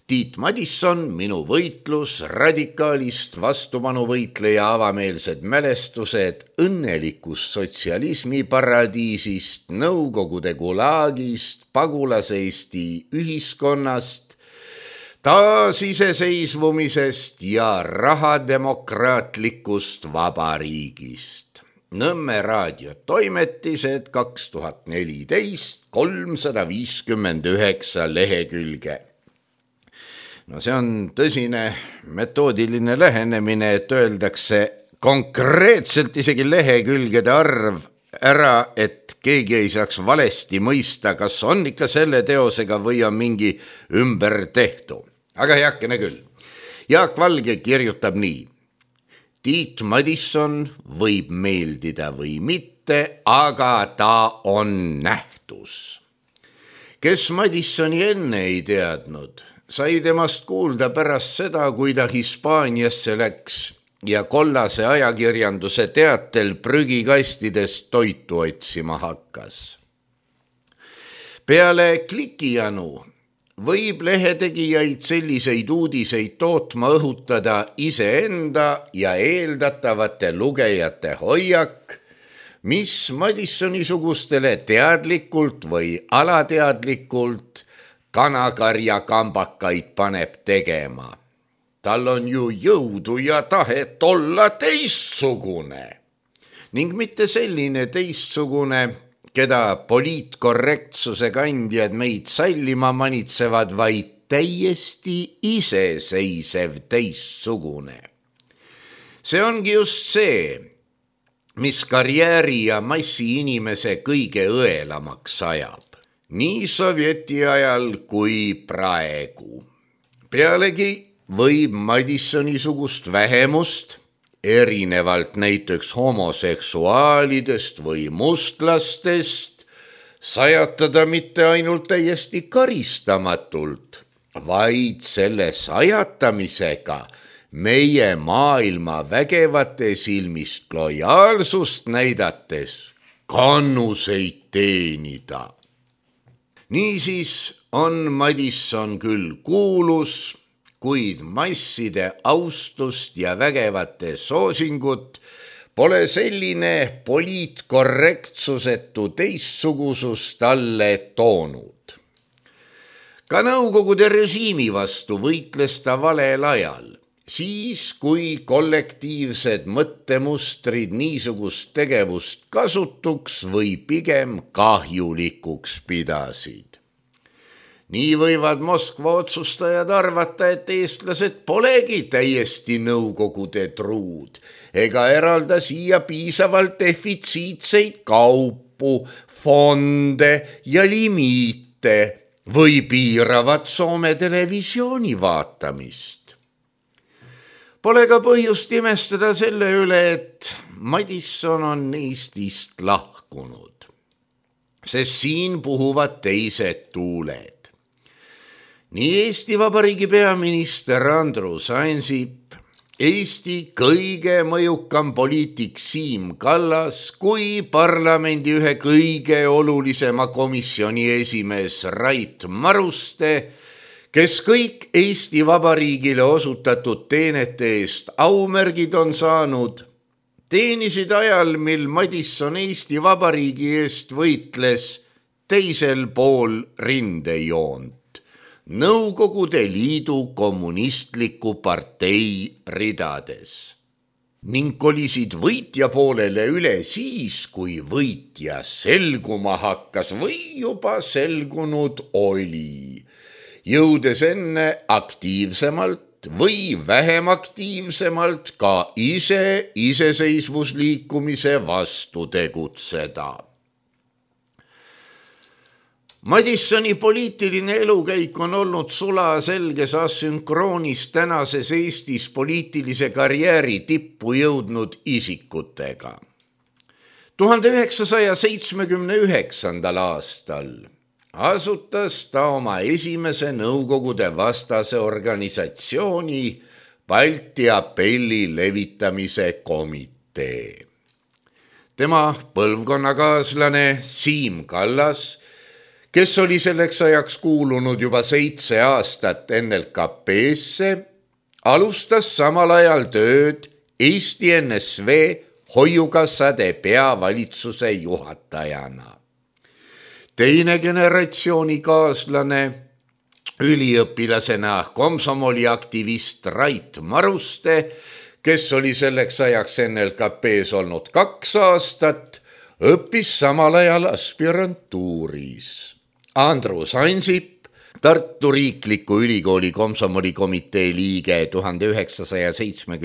Tiit Madisson, Minu võitlus, radikaalist vastupanuvõitleja avameelsed mälestused õnnelikust sotsialismi paradiisist, Nõukogude gulaagist, pagulaseesti ühiskonnast, taasiseseisvumisest ja rahademokraatlikust vabariigist. Nõmme raadio toimetised 2014, 359 lehekülge. No see on tõsine metoodiline lähenemine, et öeldakse konkreetselt isegi lehekülgede arv ära, et keegi ei saaks valesti mõista, kas on ikka selle teosega või on mingi ümbertehtu. Aga heakene küll. Jaak Valge kirjutab nii. Tiit Madisson võib meeldida või mitte, aga ta on nähtus. Kes Madissoni enne ei teadnud, sai temast kuulda pärast seda, kui ta Hispaaniasse läks ja kollase ajakirjanduse teatel prügikastidest toitu otsima hakkas. Peale klikijanu võib lehetegijaid selliseid uudiseid tootma õhutada iseenda ja eeldatavate lugejate hoiak, mis Madissoni-sugustele teadlikult või alateadlikult kanakarja kambakaid paneb tegema. Tal on ju jõudu ja tahet olla teistsugune. Ning mitte selline teistsugune, keda poliitkorrektsuse kandjad meid sallima manitsevad, vaid täiesti iseseisev teistsugune. See ongi just see, mis karjääri ja massi inimese kõige õelamaks ajab. Nii sovjeti ajal kui praegu. Pealegi võib Madissoni-sugust vähemust, erinevalt näiteks homoseksuaalidest või mustlastest, sajatada mitte ainult täiesti karistamatult, vaid selle sajatamisega meie maailma vägevate silmist lojaalsust näidates kannuseid teenida. Niisiis on Madisson küll kuulus, kuid masside austust ja vägevate soosingut pole selline poliitkorrektsusetu teistsugusus talle toonud. Ka Nõukogude režiimi vastu võitles ta valel ajal siis kui kollektiivsed mõttemustrid niisugust tegevust kasutuks või pigem kahjulikuks pidasid. Nii võivad Moskva otsustajad arvata, et eestlased polegi täiesti Nõukogude truud ega eralda siia piisavalt defitsiitseid kaupu, fonde ja limiite või piiravad Soome televisiooni vaatamist. Pole ka põhjust imestada selle üle, et Madisson on Eestist lahkunud, sest siin puhuvad teised tuuled. Nii Eesti Vabariigi peaminister Andrus Ansip, Eesti kõige mõjukam poliitik Siim Kallas kui parlamendi ühe kõige olulisema komisjoni esimees Rait Maruste, kes kõik Eesti Vabariigile osutatud teenete eest aumärgid on saanud, teenisid ajal, mil Madisson Eesti Vabariigi eest võitles teisel pool rindejoont. Nõukogude Liidu kommunistliku partei ridades ning kolisid võitja poolele üle siis, kui võitja selguma hakkas või juba selgunud oli, jõudes enne aktiivsemalt või vähem aktiivsemalt ka iseseisvusliikumise vastu tegutseda. Madissoni poliitiline elukäik on olnud sulaselges asünkroonis tänases Eestis poliitilise karjääri tippu jõudnud isikutega. 1979. aastal asutas ta oma esimese Nõukogude vastase organisatsiooni Balti apelli levitamise komitee. Tema põlvkonnakaaslane Siim Kallas, kes oli selleks ajaks kuulunud juba 7 aastat NLKP-sse, alustas samal ajal tööd Eesti NSV hoiukassade peavalitsuse juhatajana. Teine generatsiooni kaaslane, üliõpilasena komsomoliaktivist Rait Maruste, kes oli selleks ajaks NLKP-s olnud 2 aastat, õppis samal ajal aspirantuuris. Andrus Ansip, Tartu Riikliku Ülikooli komsomolikomitee liige 1975.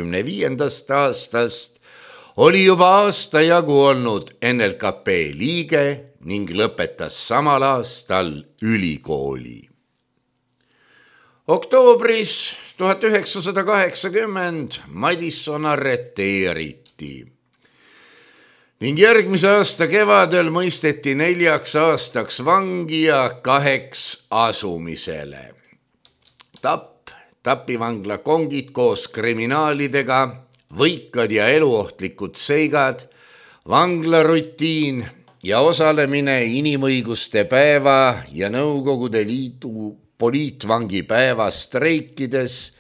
aastast, oli juba aasta jagu olnud NLKP liige ning lõpetas samal aastal ülikooli. Oktoobris 1980 Madisson arreteeriti ning järgmise aasta kevadel mõisteti 4 aastaks vangi ja 2 asumisele. Tapivangla kongid koos kriminaalidega, võikad ja eluohtlikud seigad, vanglarutiin ja osalemine inimõiguste päeva ja Nõukogude Liidu poliitvangipäeva streikides,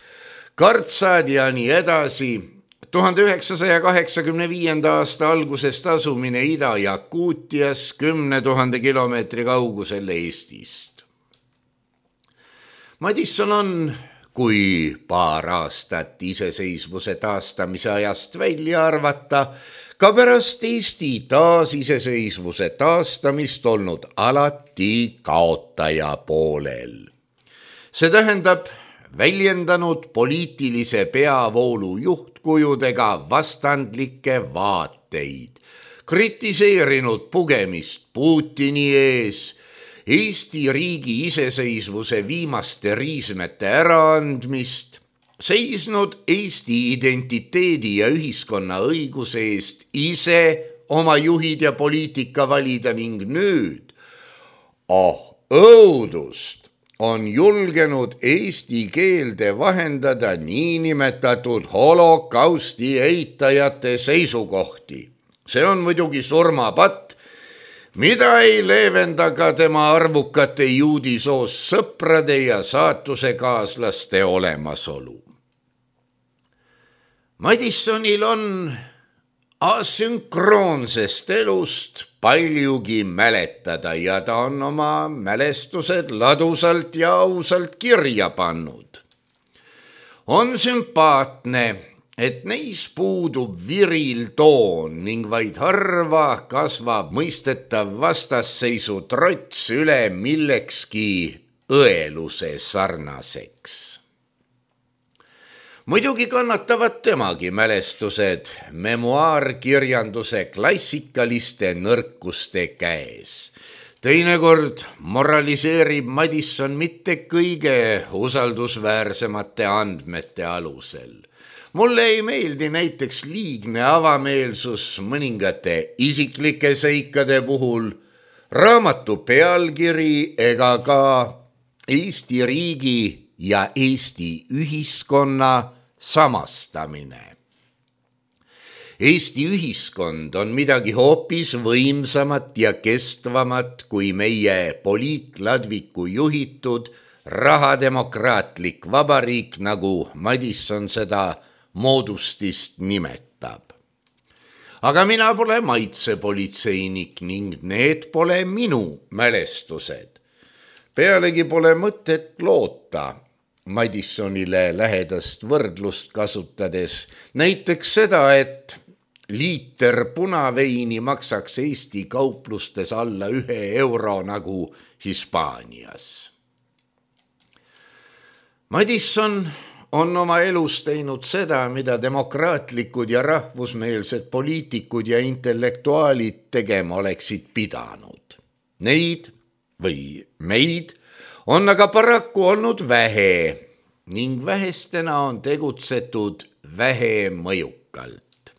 kartsad ja nii edasi. 1985. aasta algusest asumine Ida-Jakuutias 10 000 kilomeetri kaugusel Eestist. Madisson on, kui paar aastat iseseisvuse taastamise ajast välja arvata, ka pärast Eesti taasiseseisvuse taastamist olnud alati kaotaja poolel. See tähendab väljendanud poliitilise peavoolu juhtkujudega vastandlikke vaateid, kritiseerinud pugemist Putini ees, Eesti riigi iseseisvuse viimaste riismete äraandmist, seisnud Eesti identiteedi ja ühiskonna õiguse eest ise oma juhid ja poliitika valida ning nüüd, õudust, on julgenud eesti keelde vahendada niinimetatud holokausti eitajate seisukohti. See on muidugi surmapatt, mida ei leevenda ka tema arvukate juudisoost sõprade ja saatusekaaslaste olemasolu. Madissonil on asünkroonsest elust paljugi mäletada ja ta on oma mälestused ladusalt ja ausalt kirja pannud. On sümpaatne, et neis puudub viril toon ning vaid harva kasvab mõistetav vastasseisu trots üle millekski õeluse sarnaseks. Muidugi kannatavad temagi mälestused memuaarkirjanduse klassikaliste nõrkuste käes. Teinekord moraliseerib Madisson mitte kõige usaldusväärsemate andmete alusel. Mulle ei meeldi näiteks liigne avameelsus mõningate isiklike seikade puhul, raamatu pealkiri ega ka Eesti riigi ja Eesti ühiskonna samastamine. Eesti ühiskond on midagi hoopis võimsamat ja kestvamat kui meie poliitladviku juhitud rahademokraatlik vabariik, nagu Madisson seda moodustist nimetab. Aga mina pole maitsepolitseinik ning need pole minu mälestused. Pealegi pole mõtet loota Madissonile lähedast võrdlust kasutades näiteks seda, et liiter punaveini maksaks Eesti kauplustes alla 1 euro nagu Hispaanias. Madisson on oma elus teinud seda, mida demokraatlikud ja rahvusmeelsed poliitikud ja intellektuaalid tegema oleksid pidanud. Neid või meid on aga paraku olnud vähe ning vähestena on tegutsetud vähe mõjukalt.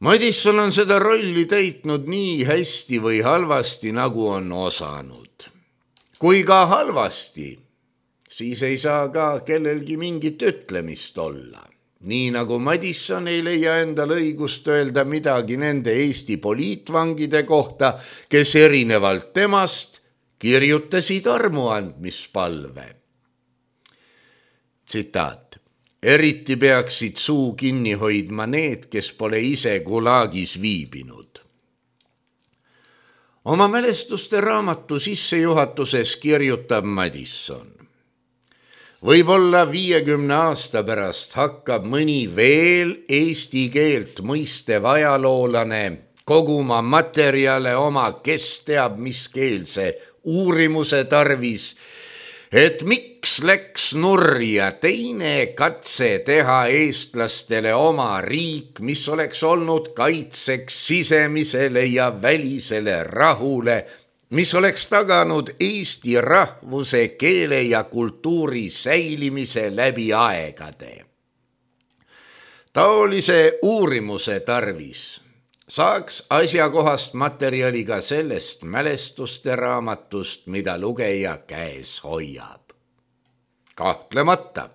Madisson on seda rolli täitnud nii hästi või halvasti, nagu on osanud. Kui ka halvasti, siis ei saa ka kellelgi mingit ütlemist olla. Nii nagu Madisson ei leia endal õigust öelda midagi nende Eesti poliitvangide kohta, kes erinevalt temast kirjutasid armuandmispalve. Tsitaat. Eriti peaksid suu kinni hoidma need, kes pole ise Gulagis viibinud. Oma mälestuste raamatu sissejuhatuses kirjutab Madisson. Võib-olla 50 aasta pärast hakkab mõni veel eesti keelt mõistev ajaloolane koguma materjale oma kes teab mis keelse uurimuse tarvis, et miks läks nurja teine katse teha eestlastele oma riik, mis oleks olnud kaitseks sisemisele ja välisele rahule, mis oleks taganud Eesti rahvuse, keele ja kultuuri säilimise läbi aegade. Taolise uurimuse tarvis saaks asjakohast materjali ka sellest mälestuste raamatust, mida lugeja käes hoiab. Kahtlemata.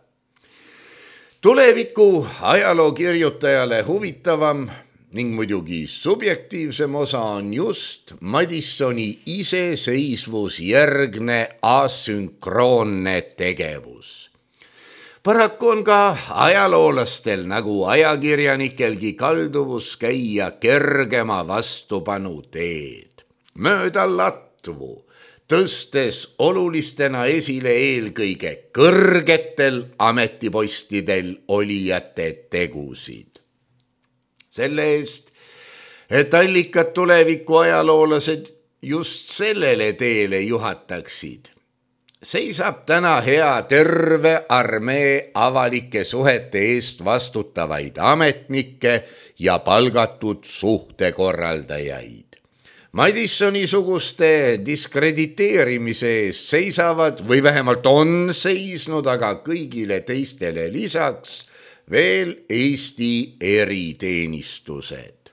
Tuleviku ajalookirjutajale huvitavam ning muidugi subjektiivsem osa on just Madissoni iseseisvusjärgne asünkroonne tegevus. Paraku on ka ajaloolastel nagu ajakirjanikelgi kalduvus käia kergema vastupanu teed. Mööda latvu, tõstes olulistena esile eelkõige kõrgetel ametipostidel olijate tegusid. Selle eest, et allikad tuleviku ajaloolased just sellele teele juhataksid, seisab täna hea terve armee avalike suhete eest vastutavaid ametnikke ja palgatud suhtekorraldajaid. Madissoni-suguste diskrediteerimise eest seisavad või vähemalt on seisnud, aga kõigile teistele lisaks veel Eesti eriteenistused.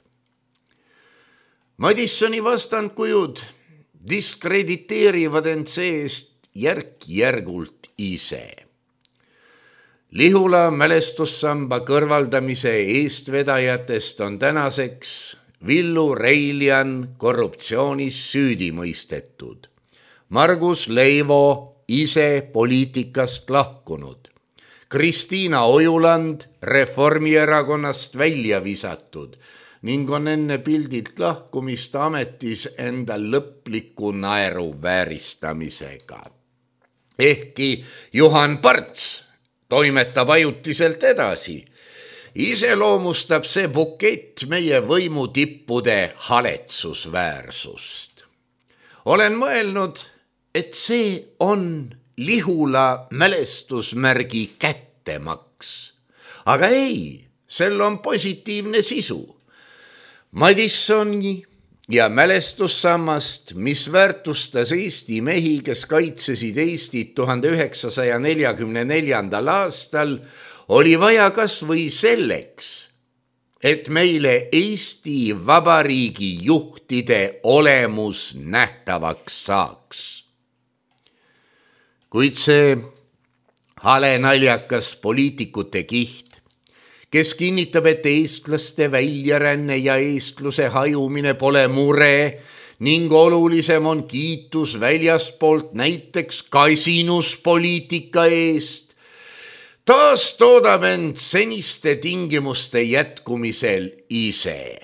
Madissoni vastandkujud diskrediteerivad end seest järk-järgult ise. Lihula mälestussamba kõrvaldamise eestvedajatest on tänaseks Villu Reiljan korruptsioonis süüdi mõistetud, Margus Leivo ise poliitikast lahkunud, Kristiina Ojuland Reformierakonnast välja visatud ning on enne pildilt lahkumist ametis enda lõpliku naeru vääristamisega. Ehkki Juhan Parts toimetab ajutiselt edasi. Iseloomustab see bukett meie võimutippude haletsusväärsust. Olen mõelnud, et see on Lihula mälestusmärgi kättemaks. Aga ei, sel on positiivne sisu. Madissoni ja mälestussammast, mis väärtustas Eesti mehi, kes kaitsesid Eestit 1944. aastal, oli vaja kas või selleks, et meile Eesti Vabariigi juhtide olemus nähtavaks saaks. Kuid see hale naljakas poliitikute kiht, kes kinnitab, et eestlaste väljaränne ja eestluse hajumine pole mure ning olulisem on kiitus väljaspoolt näiteks kasinuspoliitika eest, taas toodab end seniste tingimuste jätkumisel ise.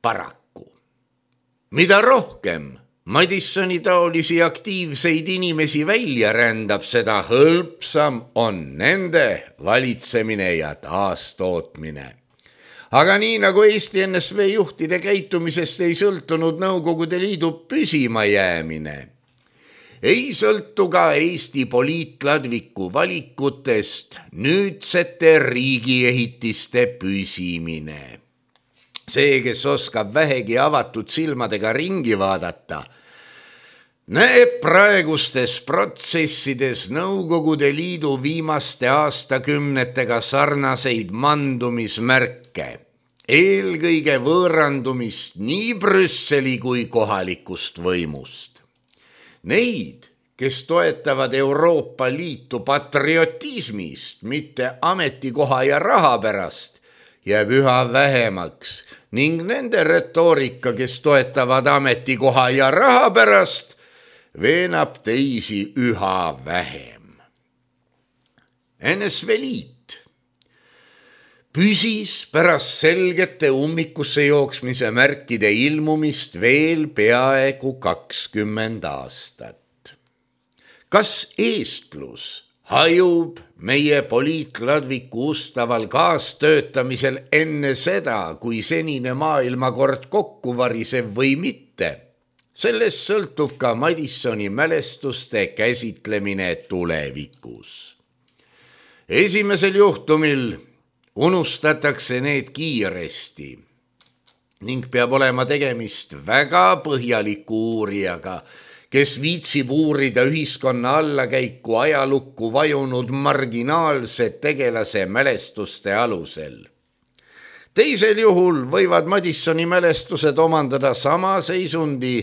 Paraku. Mida rohkem Madissoni taolisi aktiivseid inimesi välja rändab, seda hõlpsam on nende valitsemine ja taastootmine. Aga nii nagu Eesti NSV juhtide käitumisest ei sõltunud Nõukogude Liidu püsima jäämine, ei sõltu ka Eesti poliitladviku valikutest nüüdsete riigiehitiste püsimine. See, kes oskab vähegi avatud silmadega ringi vaadata, näeb praegustes protsessides Nõukogude Liidu viimaste aastakümnetega sarnaseid mandumismärke, eelkõige võõrandumist nii Brüsseli kui kohalikust võimust. Neid, kes toetavad Euroopa Liitu patriotismist, mitte ametikoha ja raha pärast, jääb üha vähemaks ning nende retoorika, kes toetavad ametikoha ja raha pärast, veenab teisi üha vähem. NSV Liit püsis pärast selgete ummikusse jooksmise märkide ilmumist veel peaaegu 20 aastat. Kas eestlus hajub meie poliitladviku ustaval kaastöötamisel enne seda, kui senine maailmakord kokku variseb või mitte? Sellest sõltub ka Madissoni mälestuste käsitlemine tulevikus. Esimesel juhtumil unustatakse need kiiresti ning peab olema tegemist väga põhjaliku uurijaga, kes viitsib uurida ühiskonna allakäiku ajalukku vajunud marginaalse tegelase mälestuste alusel. Teisel juhul võivad Madissoni mälestused omandada sama seisundi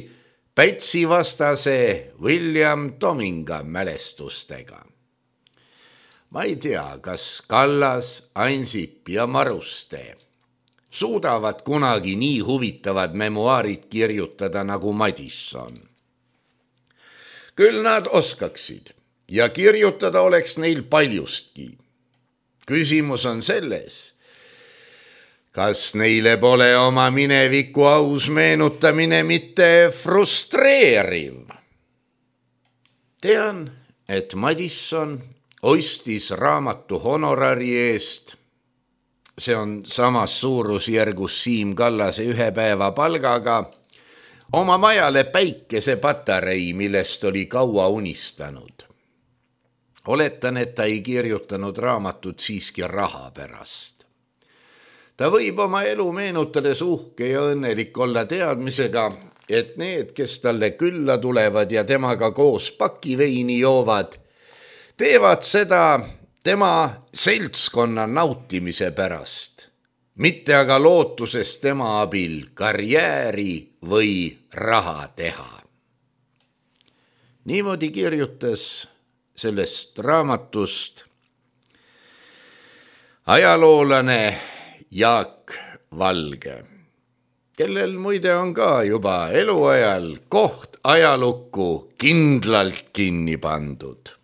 Pätsi vastase William Tominga mälestustega. Ma ei tea, kas Kallas, Ansip ja Maruste suudavad kunagi nii huvitavad memuaarid kirjutada nagu Madisson. Küll nad oskaksid ja kirjutada oleks neil paljustki. Küsimus on selles, kas neile pole oma mineviku aus meenutamine mitte frustreeriv? Tean, et Madisson ostis raamatu honorari eest, see on samas suurusjärgus Siim Kallase 1 päeva palgaga, oma majale päikesepatarei, millest oli kaua unistanud. Oletan, et ta ei kirjutanud raamatut siiski raha pärast. Ta võib oma elu meenutades uhke ja õnnelik olla teadmisega, et need, kes talle külla tulevad ja temaga koos pakiveini joovad, teevad seda tema seltskonna nautimise pärast, mitte aga lootuses tema abil karjääri või raha teha. Niimoodi kirjutas sellest raamatust ajaloolane Jaak Valge, kellel muide on ka juba eluajal koht ajalukku kindlalt kinni pandud.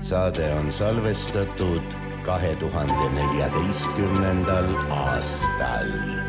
Saade on salvestatud 2014. aastal.